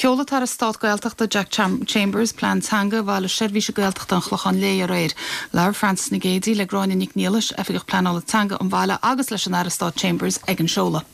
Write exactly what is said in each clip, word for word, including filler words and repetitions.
Sheol an tAire Stáit Gaeltachta Jack Chambers plean teanga Bhaile Seirbhíse Gaeltachta an Chlocháin Léith aréir. Labhair Frances Nic Géadaigh le Gráinne Nic Niallais oifigeach pleanála teanga an bhaile agus leis an Aire Stáit Chambers ag an seoladh.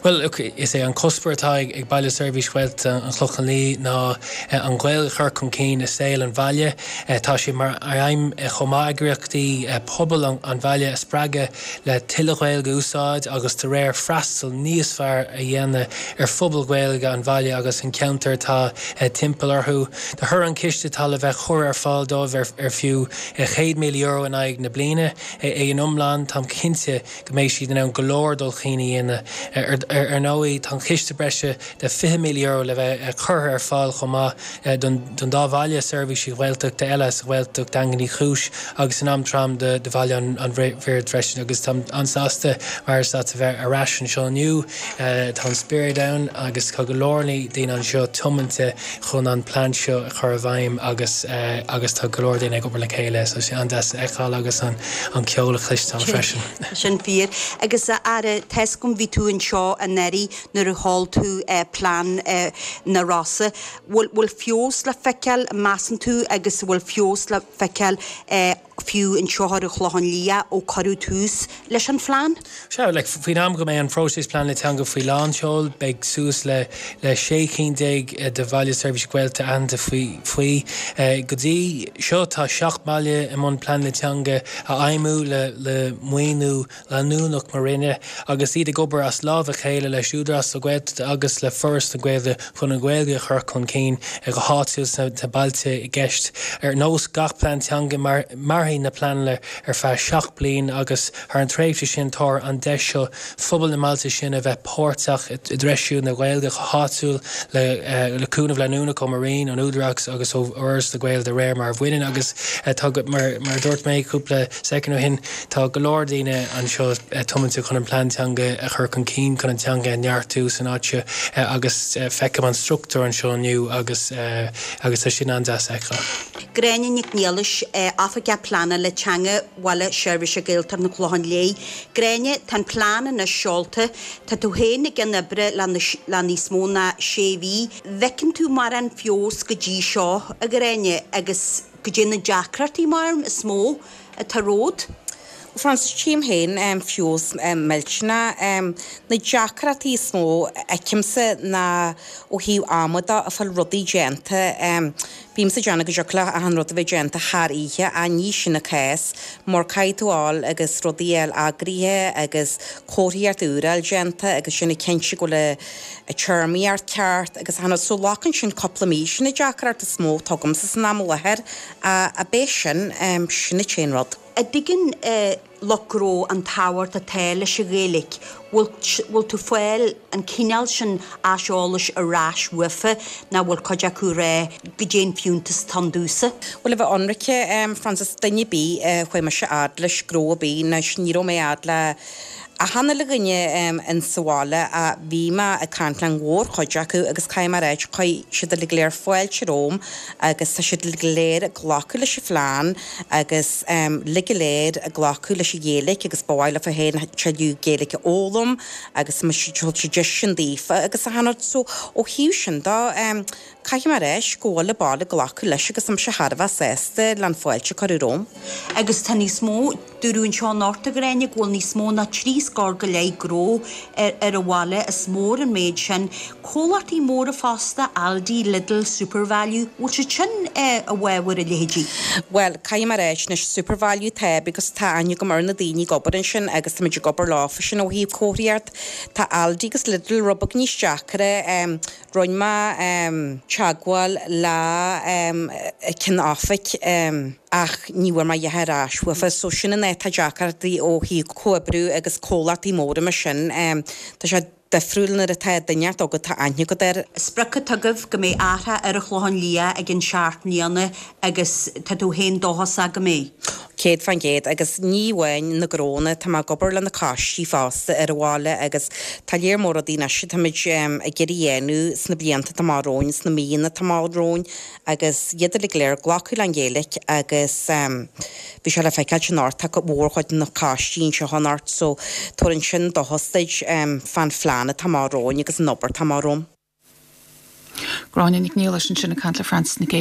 Well is é an cuspóir atá ag Baile Seirbhíse Gaeltachta an Chlocháin Léith ná eh, an Ghaeilge a chur chun cinn i saol an bhaile eh, tá sé mar aidhm eh, chomh maith eagraíochtaí pobail an bhaile a spreagadh le tuilleadh Gaeilge a úsáid agus dá réir freastal níos fearr a dhéanamh ar phobal Gaeilge an bhaile agus an ceantar atá timpeall orthu. De thoradh an chiste atá le bheith curtha ar fáil dóibh ar, ar fiú céad míle euro in aghaidh na bliana é in iomlán táim cinnte go mbeidh siad in ann go leor dul chun cinn a dhéanamh ar ar ndóigh tá ciste breise de fiche míle euro le bheith curtha ar fáil chomh maith don dá bhaile seirbhísí Gaeltachta eile sa Ghaeltacht Daingean Uí Chúis agus in Aontroim de, de Bhaile an, an Bhird freisin agus tá an-sásta mar a bheith ar ais anseo inniu tá an spiorad ann agus tá go leor daoine anseo tiomanta chun an plean seo a chur i bhfeidhm agus agus tá go leor daoine ag obair le chéile so sé an-deas a fheiceáil agus an an ceol a chloisteáil freisin. Sin fíor agus a Aire tá 's agam bhí tú anseo anuraidh nuair a sheol tú eh, plean eh, na Rosa. Bhfuil bhfuil feabhas le feiceáil measann tú agus bhfuil feabhas le feiceáil eh, fiú anseo ar an Chlochán Liath ó cuireadh tús leis an phlean? Sea le faoin am go mbeidh an próiseas pleanála teanga faoi lánseol beidh suas le le sé cinn déag de bhaile seirbhíse Gaeltachta aitheanta faoi faoi go dtí seo tá seacht mbaile i mbun pleanála teanga a fheidhmiú le le maoiniú leanúnach mo Roinne agus iad ag obair as lámh a chéile leis Údarás na Gaeltachta agus le Foras na Gaeilge chun an Ghaeilge a chur chun cinn go háitiúil sna bailte i gceist ar nós gach plean teanga mar mairfidh na pleananna ar feadh seacht bliain agus thar an tréimhse sin tá an deis seo phobal na mbailte sin a bheith páirteach i dtreisiú na Gaeilge go háitiúil le le cúnamh leanúnach ó mo Roinn an Údarás agus ó Fhoras na Gaeilge de réir mar a bhaineann agus tá mar mar dúirt mé cúpla soicind ó shin tá go leor daoine anseo tiomanta chun an plean teanga a chur chun cinn chun an teanga a neartú san áit seo agus feicim an struchtúr anseo inniu agus agus tá sin an-deas a fheiceáil. Gráinne Nic Niallais oifigeach pleanála teanga Bhaile Seirbhíse Gaeltachta an Chlocháin Léith. Gráinne tá an plean anois seolta, Tá tú féin ag an obair le le níos mó ná sé mhí. Bhfeiceann tú mar an feabhas go dtí seo a Ghráinne agus go dtí na deacrachtaí mar is mó atá romhat. Frances tchím féin um, feabhas um, millteanach um, na deacrachtaí is mó a fheicimse ná ó thaobh ama de a fáil rudaí déanta um, Bímse ag déanamh go dtiocfadh le achan rud a bheith déanta thar oíche a ní sin an cás mar caithfidh tú fháil agus rudaí eile eagraithe agus comharthaíocht úr déanta agus sin cinnte go le a téarmaíocht ceart agus hana so glacann sin cúpla mí sin na deacrachtaí is mó atá agamsa san am láthair a a bé sin um, sin an t-aon rud. An dtuigeann eh, lucht gnó an tábhacht atá leis an Ghaeilge, bhfuil tú fáil an cineál sin aiseolais ar ais uafa ná bhfuil cuid acu rá go dtéann fiúntas tondúsa. Well a bheith ionraic um, Frances duine bí uh, chuaigh mise fhad leis gnó a bí na ní raibh mé fhad le a hanna le dhuine um, in sa bhaile a bhí mé ag caint le mórchuid acu agus cai mar éid chuir siad go léir fáilte romham agus tá siad go léir ag glacadh leis an phlean agus um, le go léir ag glacadh leis an Ghaeilge agus ba mhaith leo féin tuilleadh Gaeilge a fhoghlaim agus si sin daofa agus a hana so ó thaobh sin de um, Caithfidh mé a rá go bhfuil an baile glacadh leis agus am se Harbh sásta le fáilte chur romham. Agus tá níos mó dúrún seo norta gréine bhfuil níos mó ná trí scór go leith gnó ar, ar an bhaile is mór an méid sin, Comhlachtaí móra fosta Aldi, Lidl, Supervalu, bhfuil sé sin eh, a bhfuil a leithéidí. Well caithfidh mé a rá na Supervalu tá because tá aithne agam ar na daoine ag obair ansin agus tá ag obair leofa sin ó thaobh comharthaíocht Tá Aldi agus Lidl rud beag níos deacra um, rinne mé um, teagmháil le um, ceann oifig um, ach ní bhfuair mé a dhath ar ais uafa, so sin an atá deacartaí ó thaobh comhoibriú agus comhlachtaí móra mar sin um, Tá sé difriúil nuair atá duine agat tá aithne agat air. Sprioc atá agaibh go mbeidh athrú ar an Chlochán Liath ag an seacht mbliana agus tá tú féin dóchasach go mbeidh. Céad faoin gcéad agus ní amháin na gnónna tá mé ag obair le na coistí fosta ar an bhaile agus tá léir mór daoine táimid um, ag iarraidh dhéanamh sna blianta atá romhainn sna míonna atá romhainn agus iad le léir glacadh leis an Ghaeilge agus um, bhí sé le feiceáil sin tá mórchuid na coistí seo anocht so tugann sin dóchas um, fán phlean atá romhainn agus an obair atá romhainn. Gráinne Nic Niallais ansin ag caint le Frances Nic